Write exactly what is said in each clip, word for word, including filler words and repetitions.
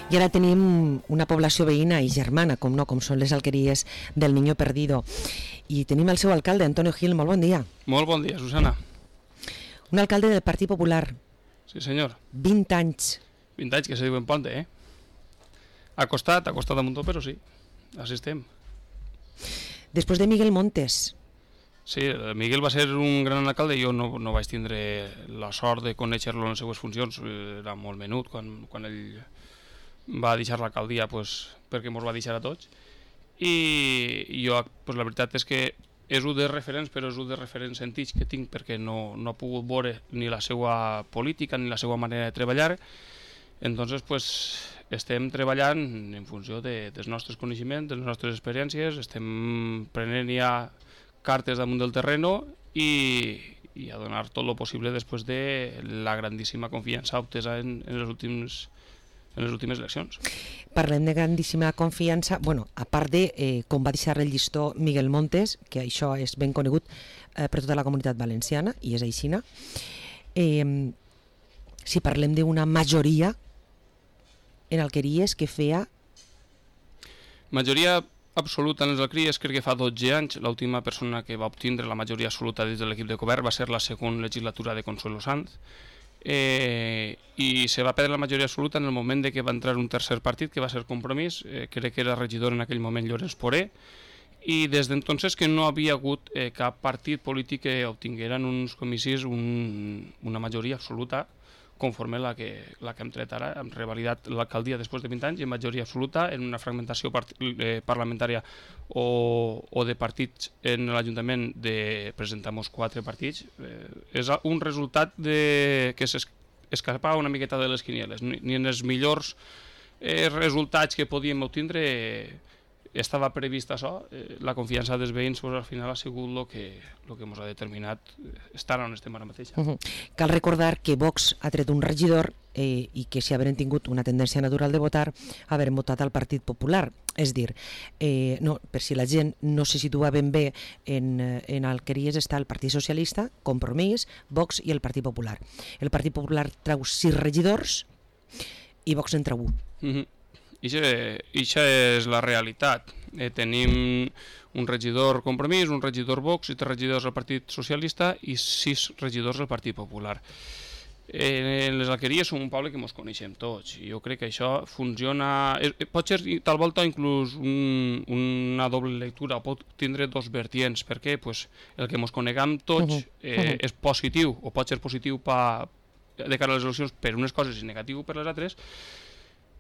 I ara tenim una població veïna i germana, com no, com són les alqueries del Niño Perdido. I tenim el seu alcalde, Antonio Gil. Molt bon dia. Molt bon dia, Susana. Un alcalde del Partit Popular. Sí, senyor. vint anys. vint anys, que se diuen ponte, eh? Ha costat, ha costat un muntó, però sí. Així estem. Després de Miguel Montes. Sí, Miguel va ser un gran alcalde. Jo no, no vaig tindre la sort de conèixer-lo en les seues funcions. Era molt menut quan, quan ell va deixar l'alcaldia, pues, perquè ens va deixar a tots. I jo, pues, la veritat és que és un dels referents, però és un dels referents sentits que tinc, perquè no, no he pogut veure ni la seva política ni la seva manera de treballar. Entonces, pues, estem treballant en funció de, dels nostres coneixements, de les nostres experiències, estem prenent ja cartes damunt del terreno i, i a donar tot el possible després de la grandíssima confiança obtesa en, en, les últims, en les últimes eleccions. Parlem de grandíssima confiança, bueno, a part de eh, com va deixar el llistó Miguel Montes, que això és ben conegut eh, per tota la comunitat valenciana, i és aixina. Eh, si parlem d'una majoria en alqueries que feia... Majoria absoluta en les alqueries, crec que fa dotze anys, l'última persona que va obtindre la majoria absoluta dins de l'equip de govern va ser la segona legislatura de Consuelo Sanz, eh, i se va perdre la majoria absoluta en el moment de que va entrar un tercer partit, que va ser Compromís, eh, crec que era regidor en aquell moment Llorenç Poré, i des d'entonces que no havia hagut eh, cap partit polític que obtinguera en uns comicis un, una majoria absoluta conforme la que, la que hem tret ara, hem revalidat l'alcaldia després de vint anys i en majoria absoluta, en una fragmentació part, eh, parlamentària o, o de partits en l'Ajuntament de presentar-nos quatre partits. Eh, és un resultat de, que s'escapa una miqueta de les quinieles. Ni, ni en els millors eh, resultats que podíem obtindre eh, estava previst això. Eh, la confiança dels veïns pues, al final ha sigut el que, lo que ens ha determinat estar on estem ara mateix. Uh -huh. Cal recordar que Vox ha tret un regidor eh, i que si haurem tingut una tendència natural de votar, haurem votat al Partit Popular. És dir, eh, no, per si la gent no se situa ben bé en, en alqueries, està el Partit Socialista, Compromís, Vox i el Partit Popular. El Partit Popular treu sis regidors i Vox en treu un. Uh -huh. I això és la realitat. Eh, tenim un regidor Compromís, un regidor Vox i tres regidors del Partit Socialista i sis regidors del Partit Popular. Eh, en les alqueries som un poble que ens coneixem tots i jo crec que això funciona... Eh, pot ser tal volta inclús un, una doble lectura, pot tindre dos vertients, perquè pues, el que ens coneguem tots eh, és positiu o pot ser positiu pa, de cara a les eleccions per unes coses i negatiu per les altres.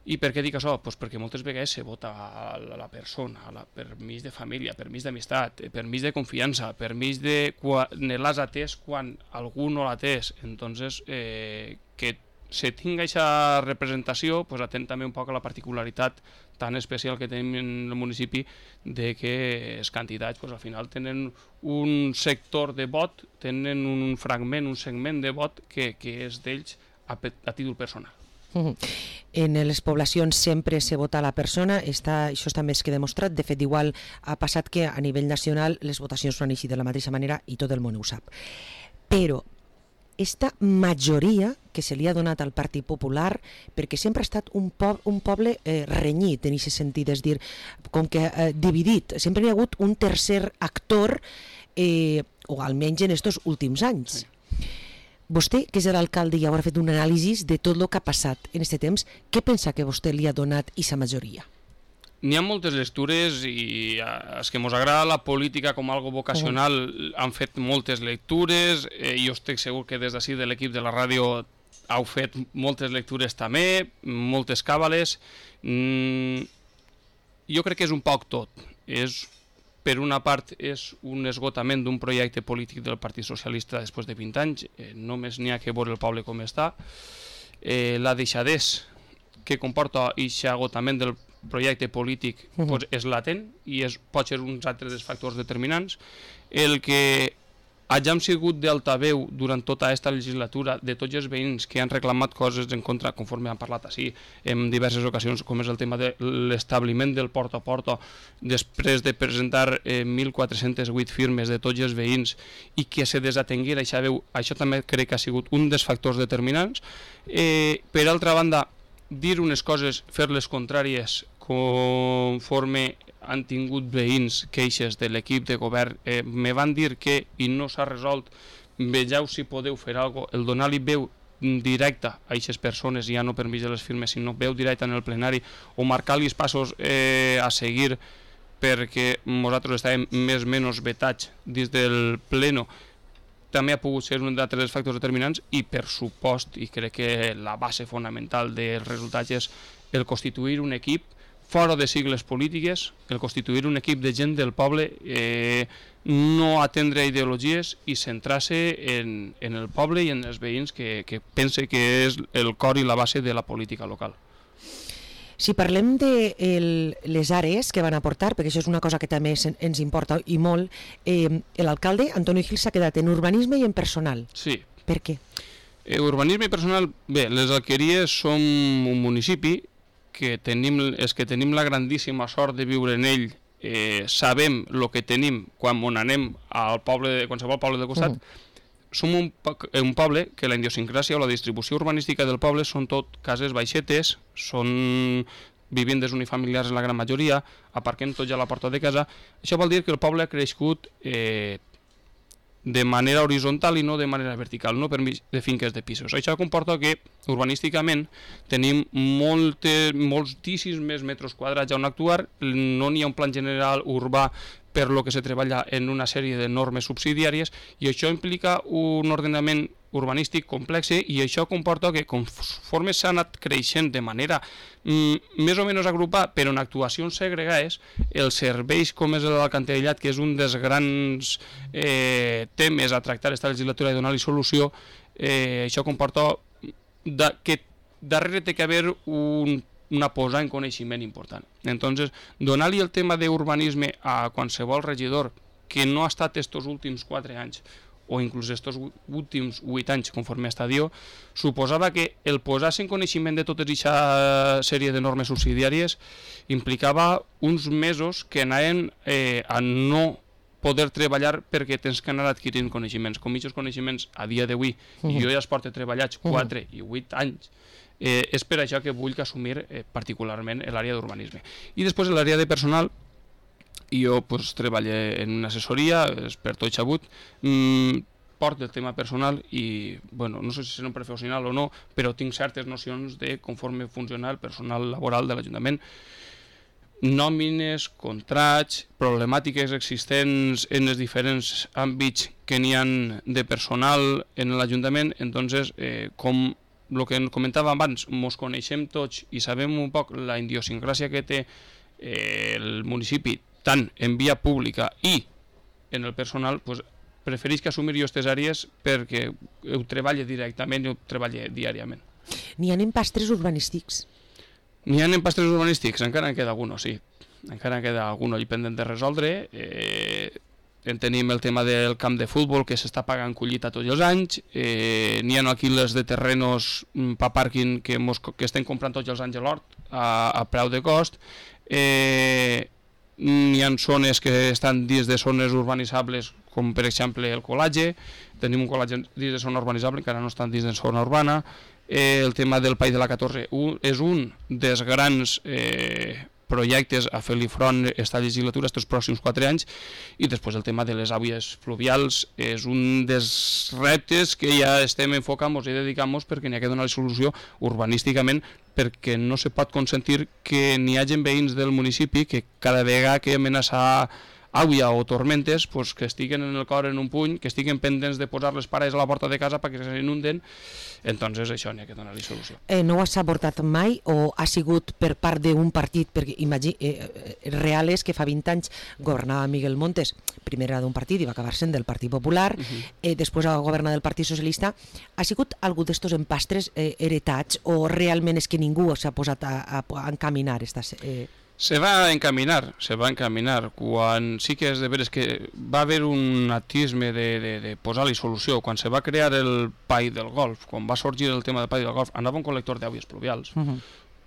I per què dic això? Pues perquè moltes vegades se vota a la persona, a la permís de família, permís d'amistat, permís de confiança, permís de quan l'has atès quan algú no l'ha atès. Entonces, eh, que se tingui aquesta representació, pues atén també un poc a la particularitat tan especial que tenim en el municipi de que els candidats pues, al final tenen un sector de vot, tenen un fragment, un segment de vot que, que és d'ells a, a títol personal. Uh-huh. En les poblacions sempre se vota a la persona, està, això està més que demostrat. De fet, igual ha passat que a nivell nacional les votacions no han eixit de la mateixa manera i tot el món ho sap. Però esta majoria que se li ha donat al Partit Popular, perquè sempre ha estat un, po un poble eh, renyit en aquest sentit, és dir, com que eh, dividit, sempre hi ha hagut un tercer actor, eh, o almenys en estos últims anys. Sí. Vostè, que és l'alcalde i haurà fet un anàlisi de tot el que ha passat en aquest temps, què pensa que vostè li ha donat aquesta majoria? N'hi ha moltes lectures i els que ens agrada la política com algo vocacional uh-huh. han fet moltes lectures, eh, jo estic segur que des d'ací de l'equip de la ràdio heu fet moltes lectures també, moltes càbales. Mm, jo crec que és un poc tot. És... Per una part és un esgotament d'un projecte polític del Partit Socialista després de vint anys, eh, només n'hi ha que veure el poble com està. Eh, la deixadesa que comporta aquest agotament del projecte polític uh-huh. pues, és latent i és, pot ser uns altres dels factors determinants. El que hagin sigut d'altaveu durant tota aquesta legislatura de tots els veïns que han reclamat coses en contra, conforme han parlat així en diverses ocasions, com és el tema de l'establiment del porta a porta, després de presentar eh, mil quatre-cents vuit firmes de tots els veïns i que se desatenguera aquesta veu, això també crec que ha sigut un dels factors determinants. Eh, per altra banda, dir unes coses, fer les contràries conforme han tingut veïns queixes de l'equip de govern, eh, me van dir que i no s'ha resolt, vegeu si podeu fer alguna cosa, el donar-li veu directa a aquestes persones, ja no per mig de les firmes, sinó veu directa en el plenari, o marcar-li els passos eh, a seguir, perquè nosaltres estàvem més o menys vetats dins del pleno, també ha pogut ser un d'altres factors determinants, i per supost, i crec que la base fonamental dels resultats és el constituir un equip fora de sigles polítiques, el constituir un equip de gent del poble, eh, no atendre ideologies i centrar-se en, en el poble i en els veïns, que, que pense que és el cor i la base de la política local. Si parlem de el, les àrees que van aportar, perquè això és una cosa que també es, ens importa i molt, eh, l'alcalde Antonio Gil s'ha quedat en urbanisme i en personal. Sí. Per què? Eh, urbanisme i personal, bé, les Alqueries som un municipi que tenim, és que tenim la grandíssima sort de viure en ell, eh, sabem el que tenim quan on anem al poble, de qualsevol poble del costat. Mm. Som un, un poble que la idiosincràsia o la distribució urbanística del poble són tot cases baixetes, són vivendes unifamiliars en la gran majoria, aparquem tots a la porta de casa. Això vol dir que el poble ha crescut eh, de manera horitzontal i no de manera vertical, no per mig de finques de pisos. Això comporta que urbanísticament tenim moltes, moltíssims més metres quadrats on actuar, no n'hi ha un plan general urbà per lo que se treballa en una sèrie de normes subsidiàries, i això implica un ordenament urbanístic complex, i això comporta que conforme s'ha anat creixent de manera mm, més o menys agrupada però en actuacions segregades, els serveis com és l'alcantarellat, que és un dels grans eh, temes a tractar esta legislatura i donar-li solució, eh, això comporta da, que darrere té que haver un una posada en coneixement important. Entonces, donar-li el tema d'urbanisme a qualsevol regidor que no ha estat estos últims quatre anys o inclús estos últims vuit anys conforme a estadio, suposava que el posar-se en coneixement de tota aquesta sèrie de normes subsidiàries implicava uns mesos que anaven eh, a no poder treballar perquè tens que anar adquirint coneixements. Com aquests coneixements a dia d'avui, uh-huh. jo ja es porto treballats quatre uh-huh. i vuit anys, Eh, és per això que vull que assumir eh, particularment l'àrea d'urbanisme. I després l'àrea de personal, jo pues, treballo en una assessoria, és per tot xabut, mm, porto el tema personal i, bueno, no sé si seré un professional o no, però tinc certes nocions de conforme funciona el personal laboral de l'Ajuntament, nòmines, contrats, problemàtiques existents en els diferents àmbits que n'hi ha de personal en l'Ajuntament. Entonces, eh, com el que comentava abans, ens coneixem tots i sabem un poc la idiosincràsia que té eh, el municipi, tant en via pública i en el personal, pues, prefereix que assumir jo aquestes àrees perquè ho treballe directament i ho treballe diàriament. N'hi ha empastres urbanístics? N'hi ha empastres urbanístics, encara en queda alguno, sí. Encara en queda alguno i pendent de resoldre. Eh, tenim el tema del camp de futbol que s'està pagant collita tots els anys, eh, n'hi ha alquiles de terrenos per pàrquing que, mos, que estem comprant tots els anys a l'hort a, a preu de cost, eh, n'hi ha zones que estan dins de zones urbanitzables com per exemple el Colatge, tenim un Colatge dins de zona urbanitzable, encara no estan dins de zona urbana, eh, el tema del Pai de la catorze un, és un dels grans eh, projectes a fer-li front esta legislatura estos pròxims quatre anys, i després el tema de les àvies fluvials és un dels reptes que ja estem enfocant-nos i dedicant-nos perquè n'hi ha que donar solució urbanísticament, perquè no se pot consentir que n'hi hagi veïns del municipi que cada vegada que amenaça àvia o tormentes, pues, que estiguen en el cor en un puny, que estiguen pendents de posar les pares a la porta de casa perquè s'inunden. Entonces això n'hi ha que donar-li solució. Eh, no has abordat mai o ha sigut per part d'un partit, perquè imagi, eh, real és que fa vint anys governava Miguel Montes, primer era d'un partit i va acabar sent del Partit Popular, uh-huh. eh, després va governar del Partit Socialista. Ha sigut algú d'estos empastres eh, heretats o realment és que ningú s'ha posat a, a, a encaminar estas... Eh... Se va encaminar, se va encaminar, quan sí que és de veres que va haver un atisme de, de, de posar-li solució. Quan se va crear el Pai del Golf, quan va sorgir el tema del Pai del Golf, anava un col·lector d'àvies pluvials. Uh-huh.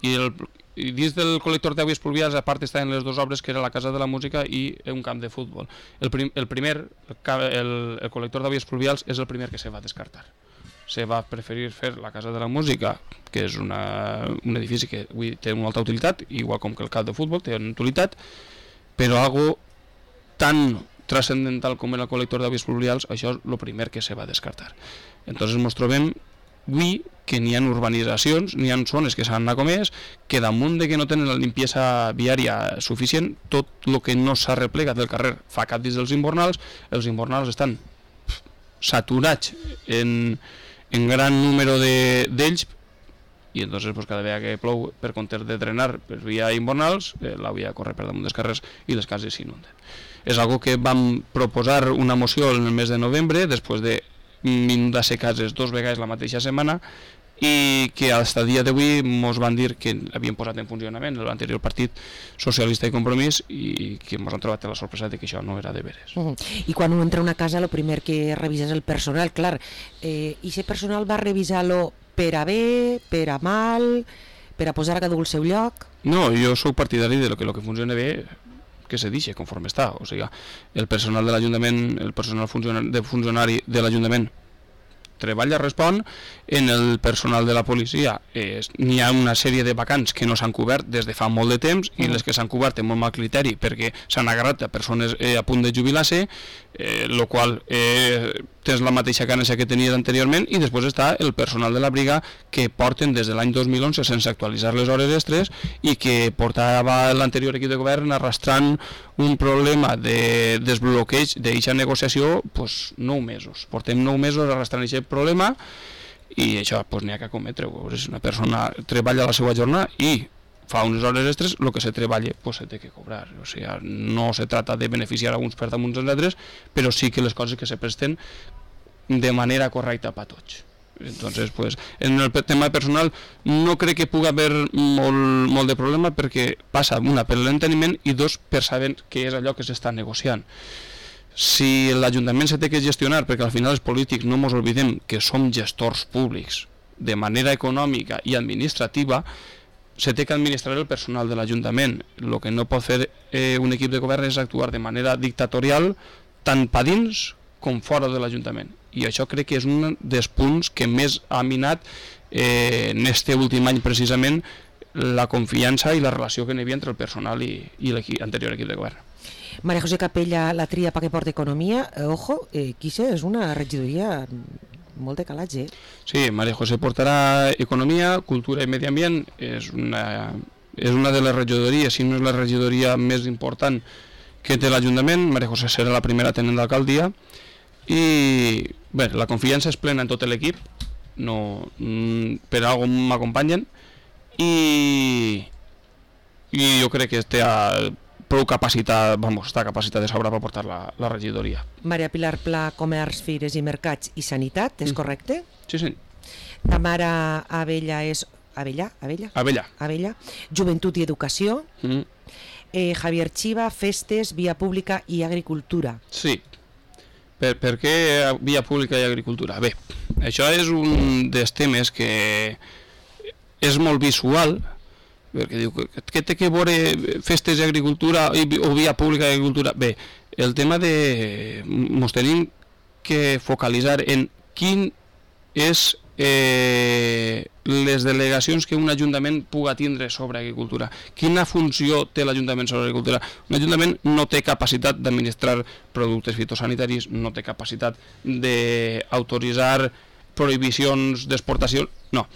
I, el, I dins del col·lector d'àvies pluvials, a part estaven les dues obres, que era la Casa de la Música i un camp de futbol. El, prim, el primer, el, el, el col·lector d'àvies pluvials és el primer que se va descartar. se va preferir fer la Casa de la Música, que és una, un edifici que avui té una alta utilitat, igual com que el camp de futbol té una utilitat, però algo tan trascendental com el col·lector d'avis pluvials, això és el primer que se va descartar. Entonces ens trobem avui que n'hi ha urbanitzacions, n'hi ha zones que s'han anat comès, que damunt de que no tenen la limpiesa viària suficient, tot el que no s'ha replegat del carrer fa cap dins dels invernals, els invernals estan saturats en, en gran número d'ells, i entonces pues, cada vegada que plou, per comptes de drenar per via invernals, eh, la via corre per damunt dels carrers i les cases s'inunden. És algo que vam proposar una moció en el mes de novembre, després de inundar-se cases dos vegades la mateixa setmana, i que fins a dia d'avui ens van dir que havien posat en funcionament l'anterior Partit Socialista i Compromís i que ens han trobat la sorpresa de que això no era de veres. Uh -huh. I quan un entra a una casa, el primer que revisa és el personal, clar. Eh, I aquest personal va revisar-lo per a bé, per a mal, per a posar a cada un al seu lloc? No, jo sóc partidari de lo que lo que funciona bé que se deixi conforme està, o sigui, el personal de l'Ajuntament, el personal funcionari, de funcionari de l'Ajuntament treballa, respon. En el personal de la policia eh, n'hi ha una sèrie de vacants que no s'han cobert des de fa molt de temps i les que s'han cobert amb molt mal criteri perquè s'han agarrat a persones eh, a punt de jubilar-se, eh, lo qual eh, tens la mateixa càrrega que tenies anteriorment, i després està el personal de la briga que porten des de l'any dos mil onze sense actualitzar les hores extres i que portava l'anterior equip de govern arrastrant un problema de desbloqueig d'aquesta negociació pues, nou mesos. Portem nou mesos arrastrant aquest problema i això pues, n'hi ha que cometre-ho. És una persona treballa la seva jornada i fa unes hores extres, el que se treballa pues, se té que cobrar. O sigui, no se trata de beneficiar a uns per damunt dels altres, però sí que les coses que se presten de manera correcta per a tots. Entonces, pues, en el tema personal no crec que pugui haver molt, molt de problema perquè passa, una, per l'enteniment i dos, per saber què és allò que s'està negociant. Si l'Ajuntament se té que gestionar, perquè al final els polítics no ens oblidem que som gestors públics de manera econòmica i administrativa, se té que administrar el personal de l'Ajuntament. El que no pot fer eh, un equip de govern és actuar de manera dictatorial tant per dins com fora de l'Ajuntament. I això crec que és un dels punts que més ha minat eh, en este últim any precisament la confiança i la relació que n'hi havia entre el personal i, i l'anterior equip de govern. María José Capella, la tria perquè porta economia, eh, ojo, eh, Quise és una regidoria molt de calatge. Sí, María José portarà economia, cultura i medi ambient, és una, és una de les regidories, si no és la regidoria més important que té l'Ajuntament. María José serà la primera tenent d'alcaldia i bé, la confiança és plena en tot l'equip, no, per algo m'acompanyen i, i jo crec que té prou capacitat, vamos, està capacitat de sobra per portar la, la regidoria. Maria Pilar Pla, Comerç, Fires i Mercats i Sanitat, és correcte? Sí, sí. Tamara Abella és... Abella? Abella? Abella. Abella. Joventut i Educació. Mm. Eh, Javier Chiva, Festes, Via Pública i Agricultura. Sí. Per, per què Via Pública i Agricultura? Bé, això és un dels temes que és molt visual, perquè diu, què té que veure Festes i Agricultura o Via Pública i Agricultura? Bé, el tema de... Ens tenim que focalitzar en quin és eh, les delegacions que un ajuntament puga tindre sobre agricultura. Quina funció té l'Ajuntament sobre agricultura? Un ajuntament no té capacitat d'administrar productes fitosanitaris, no té capacitat d'autoritzar prohibicions d'exportació, no.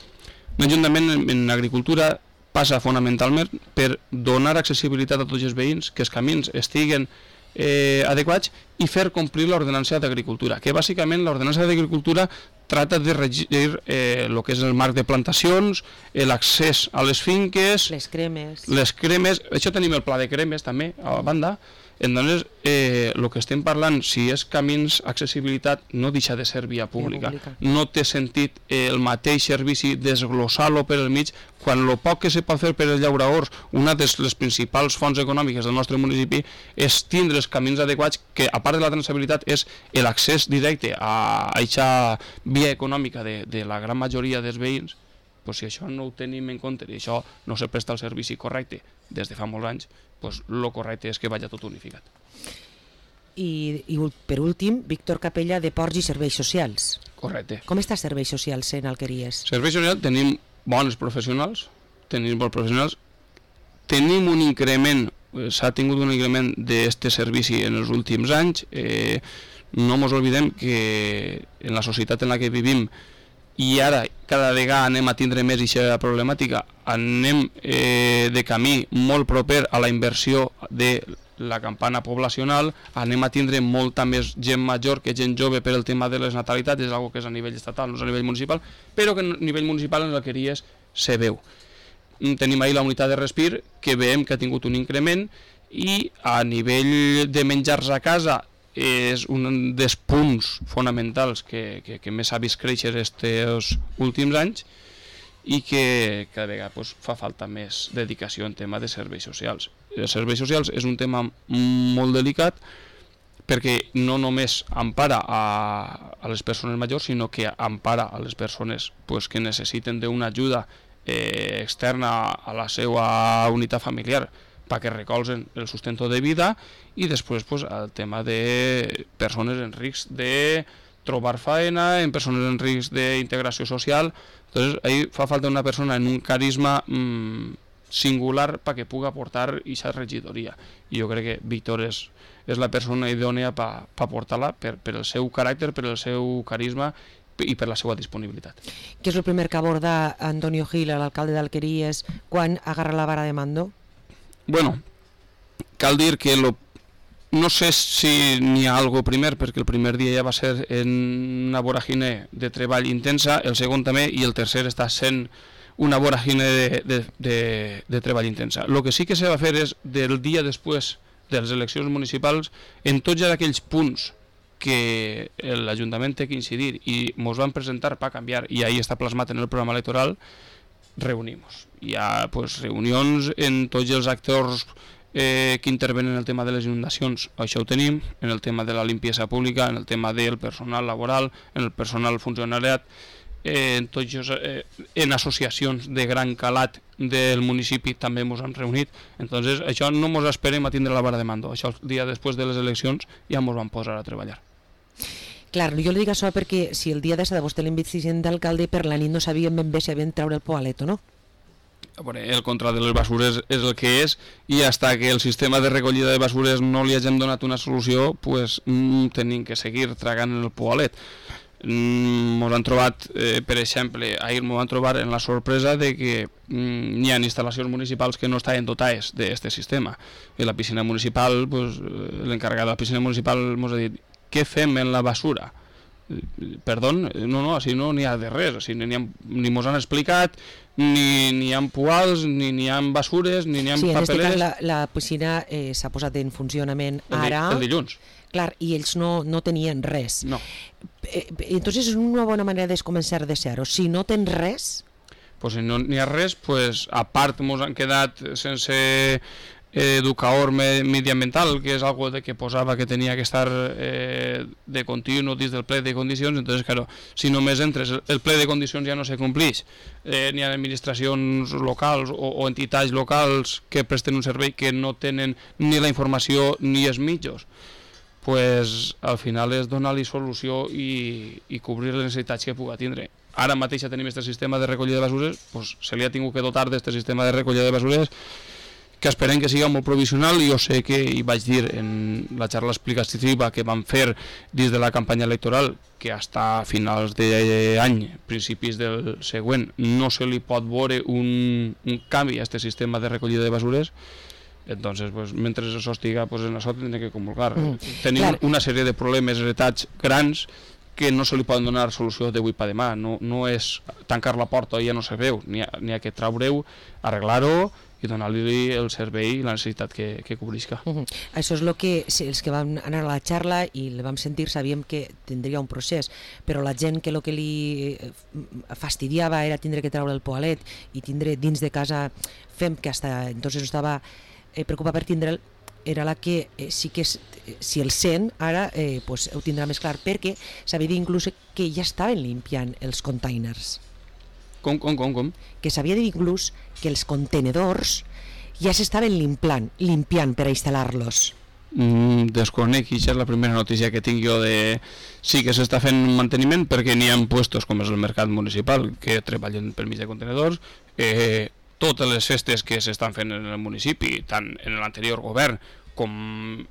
Un ajuntament en, en agricultura passa fonamentalment per donar accessibilitat a tots els veïns, que els camins estiguen eh, adequats i fer complir l'ordenança d'agricultura, que bàsicament l'ordenança d'agricultura trata de regir eh, el que és el marc de plantacions, l'accés a les finques, les cremes, les cremes, això tenim el pla de cremes també a la banda. Entonces, eh, el que estem parlant, si és camins, accessibilitat, no deixa de ser via pública. Via pública. No té sentit eh, el mateix servici desglossar-lo per el mig, quan el poc que se pot fer per els llauradors, una de les principals fonts econòmiques del nostre municipi, és tindre els camins adequats, que a part de la traçabilitat és l'accés directe a aquesta via econòmica de, de la gran majoria dels veïns. Pues si això no ho tenim en compte i això no se presta el servici correcte des de fa molts anys, pues lo correcte és que vagi tot unificat. I, i per últim, Víctor Capella, de Ports i Serveis Socials. Correcte. Com està serveis socials en Alqueries? Serveis socials tenim bons professionals, tenim bons professionals, tenim un increment, s'ha tingut un increment d'aquest servici en els últims anys. Eh, no ens oblidem que en la societat en la que vivim i ara cada vegada anem a tindre més aquesta problemàtica, anem eh, de camí molt proper a la inversió de la campana poblacional, anem a tindre molta més gent major que gent jove per el tema de les natalitats, és una que és a nivell estatal, no és a nivell municipal, però que a nivell municipal en les Alqueries se veu. Tenim ahir la unitat de respir, que veiem que ha tingut un increment, i a nivell de menjars a casa és un dels punts fonamentals que, que, que més ha vist créixer aquests últims anys i que cada vegada pues, fa falta més dedicació en tema de serveis socials. Els serveis socials és un tema molt delicat perquè no només empara a, a les persones majors, sinó que empara a les persones pues, que necessiten d'una ajuda eh, externa a la seva unitat familiar perquè recolzen el sustento de vida, i després pues, el tema de persones en risc de trobar faena, en persones en risc d'integració social. Entonces, ahí fa falta una persona en un carisma mmm, singular perquè pugui aportar aquesta regidoria. I jo crec que Víctor és, és la persona idònea per pa portar-la per, per el seu caràcter, per el seu carisma i per la seva disponibilitat. Què és el primer que aborda Antonio Gil, l'alcalde d'Alqueries, quan agarra la vara de mando? Bueno, cal dir que lo, no sé si n'hi ha algo primer, perquè el primer dia ja va ser en una voràgine de treball intensa, el segon també, i el tercer està sent una voràgine de, de, de, de treball intensa. El que sí que se va fer és, del dia després de les eleccions municipals, en tots aquells punts que l'Ajuntament té que incidir i ens van presentar per canviar, i ahí està plasmat en el programa electoral, reunimos. Hi ha pues, reunions en tots els actors eh, que intervenen en el tema de les inundacions, això ho tenim, en el tema de la limpiesa pública, en el tema del personal laboral, en el personal funcionariat, eh, en, tots, eh, en associacions de gran calat del municipi també ens han reunit. Entonces, això no ens esperem a tindre la vara de mando, això el dia després de les eleccions ja ens van posar a treballar. Clar, jo li dic això perquè si el dia de sada vostè l'investiguin d'alcalde, per la nit no sabíem ben bé si havien treure el poalet o no. El control de les basures és el que és, i fins que el sistema de recollida de basures no li hagin donat una solució, pues, mm, tenim que seguir tragant el poalet. Mm, mos han trobat, eh, per exemple, ahir m'ho van trobar en la sorpresa de que mm, hi ha instal·lacions municipals que no estaven dotades d'aquest sistema. I la piscina municipal, pues, l'encarregat de la piscina municipal ens ha dit: què fem en la basura? Perdó, no, no, així no n'hi ha de res, així ni, ni mos han explicat, ni n'hi ha poals, ni n'hi ha basures, ni n'hi ha sí, papereres. Sí, en aquest cas la, la piscina eh, s'ha posat en funcionament el ara. El dilluns. Clar, i ells no, no tenien res. No. Eh, entonces és una bona manera de començar de zero. Si no tens res... Pues si no n'hi ha res, pues, a part mos han quedat sense educador mediambiental, que és algo de que posava que tenia que estar eh, de continu dins del ple de condicions. Entonces, claro, si només entres, el ple de condicions ja no se complix, eh, n'hi ha administracions locals o, o entitats locals que presten un servei que no tenen ni la informació ni els mitjos, pues al final és donar-li solució i, i cobrir les necessitats que pugui tindre. Ara mateix ja tenim aquest sistema de recollida de basures, pues se li ha tingut que dotar d'aquest sistema de recollida de basures, que esperem que sigui molt provisional. I jo sé que, i vaig dir en la xarxa explicativa que vam fer dins de la campanya electoral, que fins a finals d'any, principis del següent, no se li pot veure un, un canvi a aquest sistema de recollida de basures. Entonces, pues, mentre això estiga, pues, en això tindrem que comulgar. Mm, Tenim clar. una sèrie de problemes heretats grans que no se li poden donar solució d'avui per demà. No, no és tancar la porta i ja no se veu, n'hi ha, n'hi ha que traure-ho, arreglar-ho i donar-li el servei i la necessitat que, que cobrisca. Uh -huh. Això és el que els que vam anar a la xarxa i el vam sentir sabíem que tindria un procés, però la gent que el que li fastidiava era tindre que treure el poalet i tindre dins de casa fem que hasta entonces estava eh, preocupat per tindre'l, era la que eh, sí que és, si el sent ara eh, pues, ho tindrà més clar, perquè s'havia dit inclús que ja estaven limpiant els containers. Com, com, com, com? Que s'havia dit inclús que els contenedors ja s'estaven limpiant, limpiant per a instal·lar-los. mm, desconec, i això és la primera notícia que tinc jo de... Sí que s'està fent un manteniment perquè n'hi ha puestos com és el mercat municipal que treballen per mig de contenedors. Eh, totes les festes que s'estan fent en el municipi, tant en l'anterior govern com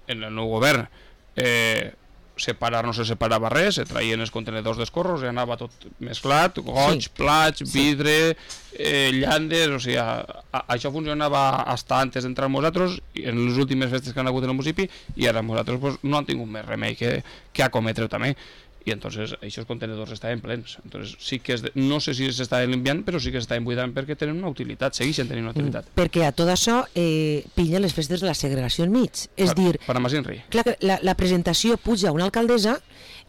en el nou govern, eh, separar no se separava res, se traien els contenedors d'escorros i anava tot mesclat, goig, sí. plats, vidre, eh, llandes, o sigui, a, a, això funcionava hasta antes d'entrar nosaltres, en les últimes festes que han hagut en el municipi, i ara nosaltres pues, no han tingut més remei que, que acometre també. I entonces aquests contenedors estaven plens. Entonces, sí que és de, no sé si s'estaven limpiant, però sí que s'estaven buidant perquè tenen una utilitat, segueixen tenint una utilitat. Mm, perquè a tot això eh, pilla les festes de la segregació enmig. És per, dir, per a Masinri. Clar, la, la presentació puja una alcaldessa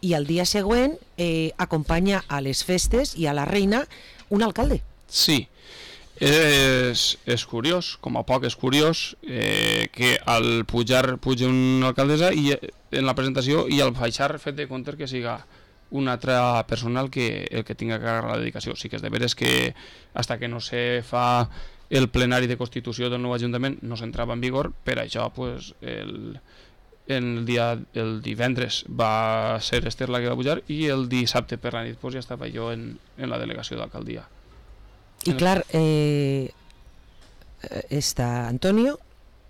i el dia següent eh, acompanya a les festes i a la reina un alcalde. Sí. És, és curiós, com a poc és curiós eh, que al pujar puja una alcaldessa i en la presentació i al baixar fet de compte que siga un altre personal que el que tinga que agarrar la dedicació. Sí que és de veres que hasta que no se fa el plenari de constitució del nou Ajuntament no s'entrava en vigor, per això pues, el, el, dia, el divendres va ser Esther la que va pujar i el dissabte per la nit pues, ja estava jo en, en la delegació d'alcaldia. I clar, eh, està Antonio,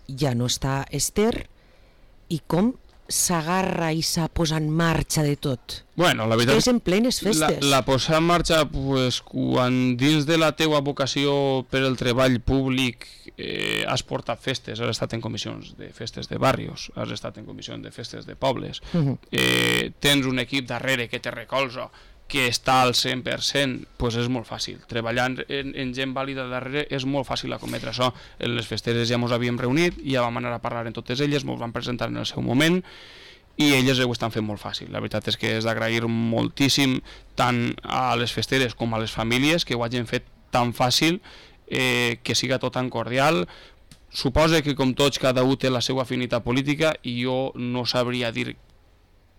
ja no està Esther, i com s'agarra i s'ha posat en marxa de tot? Bueno, la veritat és en plenes festes. La, la posar en marxa, pues, quan dins de la teua vocació per el treball públic eh, has portat festes, has estat en comissions de festes de barrios, has estat en comissions de festes de pobles, uh-huh. eh, tens un equip darrere que te recolza, que està al cent per cent, pues és molt fàcil. Treballant en, en gent vàlida darrere és molt fàcil acometre això. En les festeres ja ens havíem reunit, ja vam anar a parlar amb totes elles, ens vam presentar en el seu moment i elles ho estan fent molt fàcil. La veritat és que és d'agrair moltíssim tant a les festeres com a les famílies que ho hagin fet tan fàcil, eh, que siga tot tan cordial. Suposa que com tots cada un té la seva afinitat política i jo no sabria dir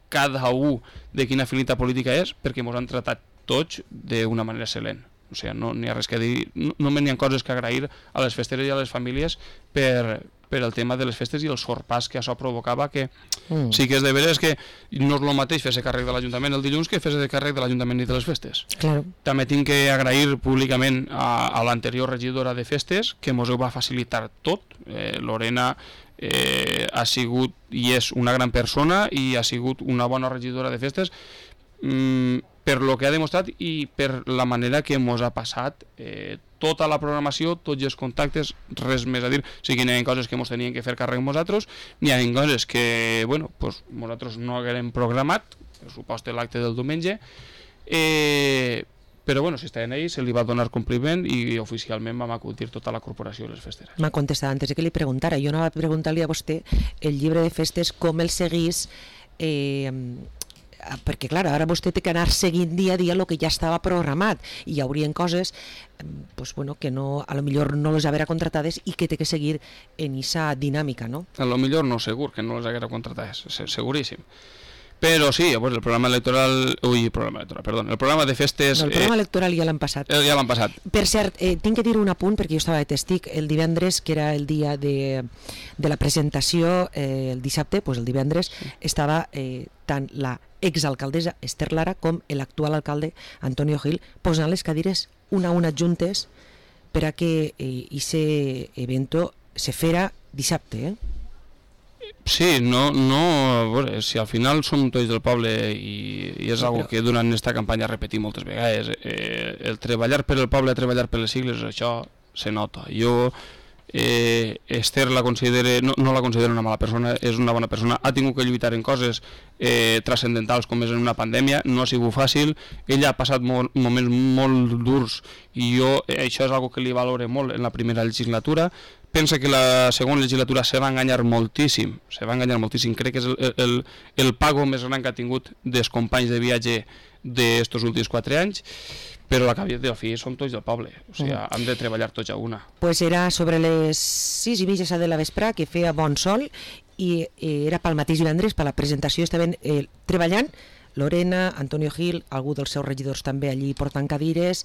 cada un de quina afinitat política és, perquè ens han tratat tots d'una manera excel·lent. O sigui, no n'hi ha res que dir, no, només n'hi ha coses que agrair a les festeres i a les famílies per, per el tema de les festes i el sorpàs que això provocava, que mm. sí que és de veres que no és el mateix fer-se càrrec de l'Ajuntament el dilluns que fer-se càrrec de l'Ajuntament i de les festes. Claro. També tinc que agrair públicament a, a l'anterior regidora de festes, que ens ho va facilitar tot, eh, Lorena, Eh, ha sigut i és una gran persona i ha sigut una bona regidora de festes mm, per lo que ha demostrat i per la manera que ens ha passat eh, tota la programació, tots els contactes, res més a dir. O sigui, n'hi ha coses que ens tenien que fer càrrec nosaltres, n'hi ha coses que bueno, pues, nosaltres no haguem programat, per supost l'acte del diumenge, eh, però bueno, si està en ell, se li va donar compliment i oficialment vam acudir tota la corporació de les festeres. M'ha contestat antes de que li preguntara. Jo no va preguntar-li a vostè el llibre de festes com el seguís, eh, perquè clar, ara vostè té que anar seguint dia a dia el que ja estava programat i hi haurien coses pues, bueno, que no, a lo millor no les haguera contratades i que té que seguir en aquesta dinàmica, no? A lo millor no, segur que no les haguera contratades, seguríssim. Però sí, pues el programa electoral... Ui, el programa electoral, perdó. El programa de festes... No, el programa eh, electoral ja l'han passat. Eh, ja l'han passat. Per cert, eh, tinc que dir un apunt, perquè jo estava de testic el divendres, que era el dia de, de la presentació, eh, el dissabte, pues el divendres, sí. estava eh, tant la exalcaldessa Esther Lara com l'actual alcalde Antonio Gil posant les cadires una a una juntes per a que aquest eh, evento se fera dissabte, eh? Sí, no, no, bueno, si al final som tots del poble i, i és algo que durant aquesta campanya repetim moltes vegades, eh, el treballar per el poble, treballar per les sigles, això se nota. Jo, eh, Esther la considere, no, no la considero una mala persona, és una bona persona, ha tingut que lluitar en coses eh, transcendentals com és en una pandèmia, no ha sigut fàcil, ella ha passat molt, moments molt durs i jo, eh, això és algo que li valore molt en la primera legislatura. Pensa que la segona legislatura se va enganyar moltíssim, se va enganyar moltíssim, crec que és el, el, el pago més gran que ha tingut dels companys de viatge d'estos últims quatre anys, però la capital del fi són tots del poble, o sigui, mm. hem de treballar tots a una. Pues era sobre les sis i mitja de la vespre, que feia bon sol, i era pel mateix divendres, per la presentació, estaven eh, treballant Lorena, Antonio Gil, algú dels seus regidors també allí portant cadires,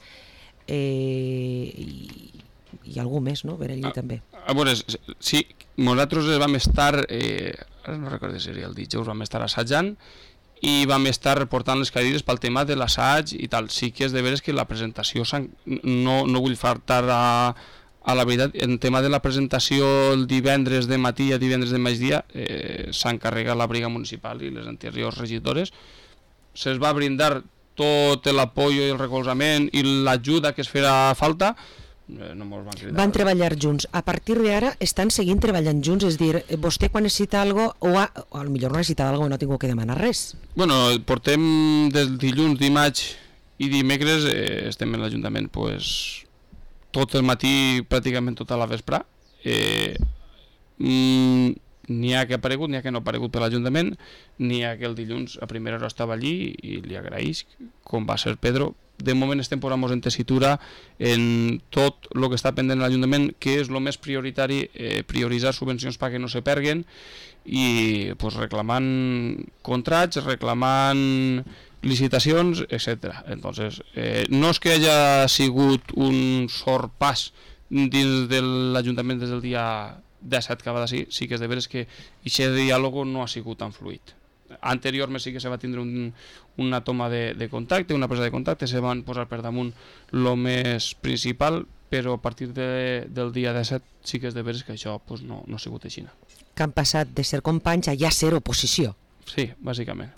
eh, i i algú més, no? Verellí ah, també. A veure, sí, nosaltres vam estar, eh, ara no recordo si seria el dijous, vam estar assajant i vam estar reportant les cadires pel tema de l'assaig i tal. Sí que és de veres que la presentació, no, no vull faltar a, a la veritat, en tema de la presentació el divendres de matí i divendres de migdia eh, s'encarrega la briga municipal i les anteriors regidores. Se'ls va brindar tot l'apoyo i el recolzament i l'ajuda que es farà falta. No mos van cridar. Van treballar junts. A partir d'ara estan seguint treballant junts, és dir, vostè quan necessita algo o, a, o a lo millor no necessita algo i no tinc que demanar res. Bueno, portem des dilluns, dimarts i dimecres eh, estem en l'Ajuntament pues, tot el matí, pràcticament tota la vespre. Eh, mm, n'hi ha que ha aparegut, n'hi ha que no ha aparegut per l'Ajuntament, n'hi ha que el dilluns a primera hora estava allí i li agraïs, com va ser Pedro. De moment estem posant-nos en tessitura en tot el que està pendent de l'Ajuntament, que és el més prioritari, eh, prioritzar subvencions perquè no se perguen i pues, reclamant contrats, reclamant licitacions, etcètera. Entonces, eh, no és que hagi sigut un sorpàs dins de l'Ajuntament des del dia disset que va d'ací, sí que és de veres que aquest diàleg no ha sigut tan fluid. Anteriorment sí que se va tindre un, una toma de, de contacte, una presa de contacte, se van posar per damunt el més principal, però a partir de, del dia disset sí que és de veres que això pues, no, no ha sigut així. Que han passat de ser companys a ja ser oposició. Sí, bàsicament.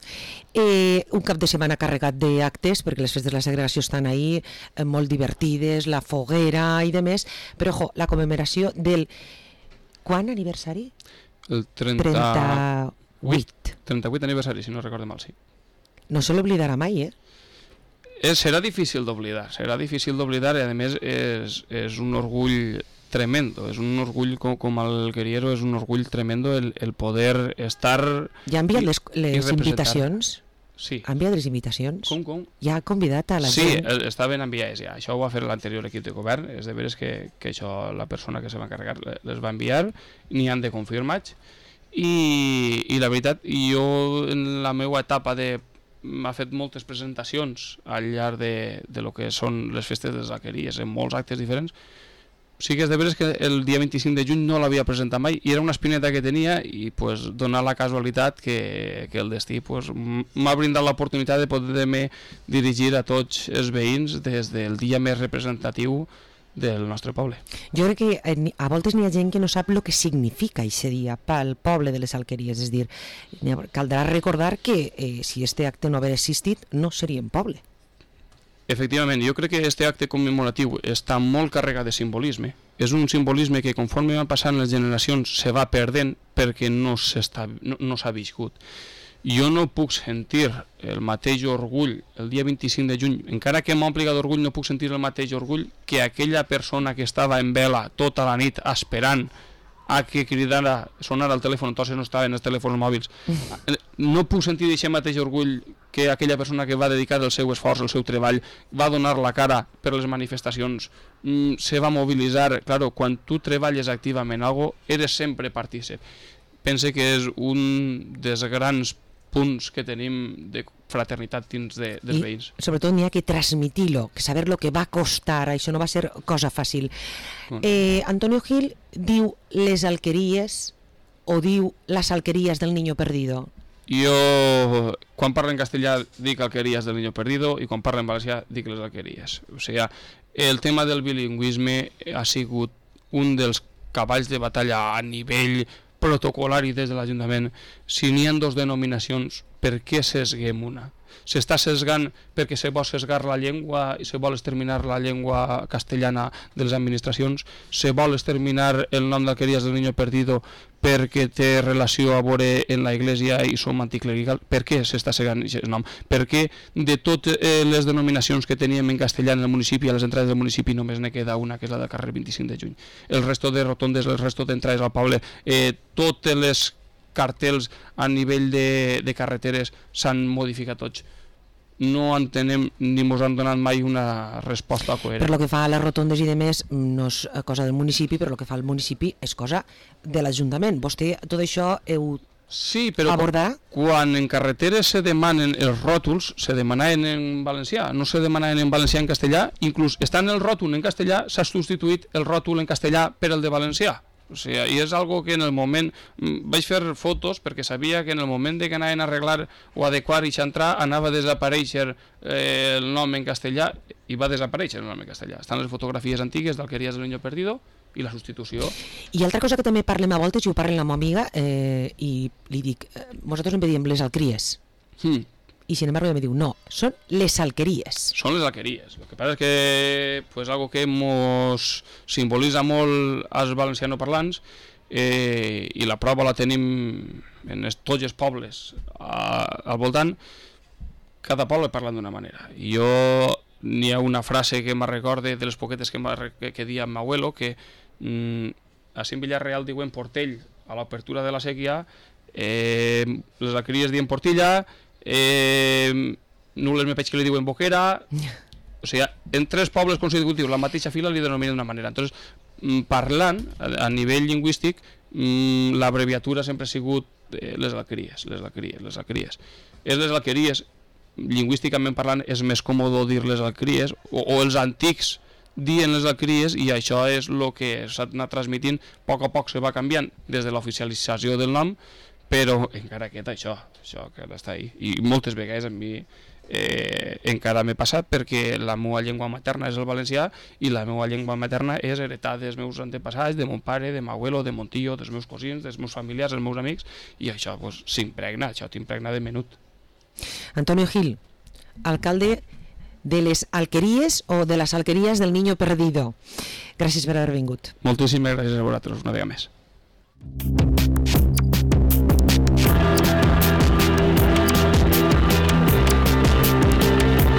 Eh, un cap de setmana carregat d'actes, perquè les festes de la segregació estan ahí, eh, molt divertides, la foguera i demés, però ojo, la commemoració del... Quan aniversari? El trenta... trenta-vuit. trenta-vuit aniversari, si no recordo mal, sí. No se l'oblidarà mai, eh? És, serà difícil d'oblidar, serà difícil d'oblidar i a més és, és un orgull tremendo, és un orgull com, com el Guerriero, és un orgull tremendo el, el poder estar... Ja ha enviat les, les invitacions? Sí. Ha enviat les invitacions? Com, com? Ja ha convidat a la sí, gent? Sí, estaven enviades ja. Això ho va fer l'anterior equip de govern. És de veres que, que això la persona que se va encarregar les va enviar, n'hi han de confirmats. I, i la veritat, jo en la meva etapa de... m'ha fet moltes presentacions al llarg de, de lo que són les festes de les alqueries, en molts actes diferents. Sí que és de veres que el dia vint-i-cinc de juny no l'havia presentat mai i era una espineta que tenia i pues, donar la casualitat que, que el destí pues, m'ha brindat l'oportunitat de poder-me dirigir a tots els veïns des del dia més representatiu del nostre poble. Jo crec que a voltes n'hi ha gent que no sap el que significa aquest dia pel poble de les Alqueries, és dir, caldrà recordar que eh, si este acte no hagués existit no seríem poble. Efectivament, jo crec que aquest acte commemoratiu està molt carregat de simbolisme. És un simbolisme que conforme van passant les generacions se va perdent perquè no s'ha no, no viscut. Jo no puc sentir el mateix orgull el dia vint-i-cinc de juny, encara que m'ompli d'orgull no puc sentir el mateix orgull que aquella persona que estava en vela tota la nit esperant a que cridara, sonara el telèfon, entonces no estaven els telèfons mòbils. No puc sentir aquest mateix orgull que aquella persona que va dedicar el seu esforç, el seu treball, va donar la cara per les manifestacions, mm, se va mobilitzar. Claro, quan tu treballes activament en alguna cosa, eres sempre partícip. Pense que és un dels grans punts que tenim de fraternitat dins de, dels I, veïns. Sobretot n'hi ha que transmitir-lo, que saber lo que va costar, això no va ser cosa fàcil. Eh, Antonio Gil diu les alqueries o diu les alqueries del niño perdido? Jo, quan parlo en castellà, dic alqueries del niño perdido i quan parlo en valencià, dic les alqueries. O sigui, el tema del bilingüisme ha sigut un dels cavalls de batalla a nivell protocolari des de l'Ajuntament. Si n'hi ha dos denominacions, per què sesguem una? S'està sesgant perquè se vol sesgar la llengua i se vol exterminar la llengua castellana de les administracions, se vol exterminar el nom d'alqueries del niño perdido perquè té relació a veure en la Iglesia i som anticlerical. Per què s'està segant aquest nom? Perquè de totes les denominacions que teníem en castellà en el municipi, a les entrades del municipi només ne queda una, que és la del carrer vint-i-cinc de juny. El resto de rotondes, el resto d'entrades al poble, eh, totes les cartells a nivell de, de carreteres s'han modificat tots. No entenem ni ens han donat mai una resposta coherent. Per lo que fa a les rotondes i demés no és cosa del municipi, però el que fa el municipi és cosa de l'Ajuntament. Vostè tot això heu Sí, però abordar? Quan en carreteres se demanen els ròtols, se demanaven en valencià, no se demanaven en valencià en castellà, inclús estant el ròtol en castellà s'ha substituït el ròtol en castellà per el de valencià. O sigui, i és algo que en el moment... Vaig fer fotos perquè sabia que en el moment de que anaven a arreglar o adequar i xantrar anava a desaparèixer eh, el nom en castellà i va desaparèixer el nom en castellà. Estan les fotografies antigues d'Alqueries del Niño Perdido i la substitució. I altra cosa que també parlem a voltes, i ho parlem amb la meva amiga, eh, i li dic, eh, nosaltres en diem les alqueries. Hmm. I sin embargo ella me diu, no, són les alqueries. Són les alqueries. El que passa és que pues, algo que mos simbolitza molt als valencianoparlants eh, i la prova la tenim en es, tots els pobles a, al voltant. Cada poble parla d'una manera. I jo n'hi ha una frase que me'n recorde de les poquetes que, que, que dia amb abuelo, que mm, a Cint Villarreal diuen Portell a l'obertura de la sèquia, eh, les alqueries diuen Portilla, Eh, Nules me veig que li diuen Boquera, o sigui, en tres pobles consecutius la mateixa fila li denominen d'una manera. Entonces, parlant a, a nivell lingüístic, l'abreviatura sempre ha sigut eh, les alqueries, les alqueries, les alqueries. És les alqueries, lingüísticament parlant, és més còmode dir les alqueries, o, o els antics dient les alqueries, i això és el que s'ha anat transmitint, a poc a poc se va canviant des de l'oficialització del nom, però encara queda això, això que està ahí. I moltes vegades a mi eh, encara m'he passat perquè la meva llengua materna és el valencià i la meva llengua materna és heretada dels meus antepassats, de mon pare, de mon abuelo, de mon tio, dels meus cosins, dels meus familiars, dels meus amics, i això pues, s'impregna, això t'impregna de menut. Antonio Gil, alcalde de les alqueries o de les alqueries del Niño Perdido. Gràcies per haver vingut. Moltíssimes gràcies a vosaltres una vegada més.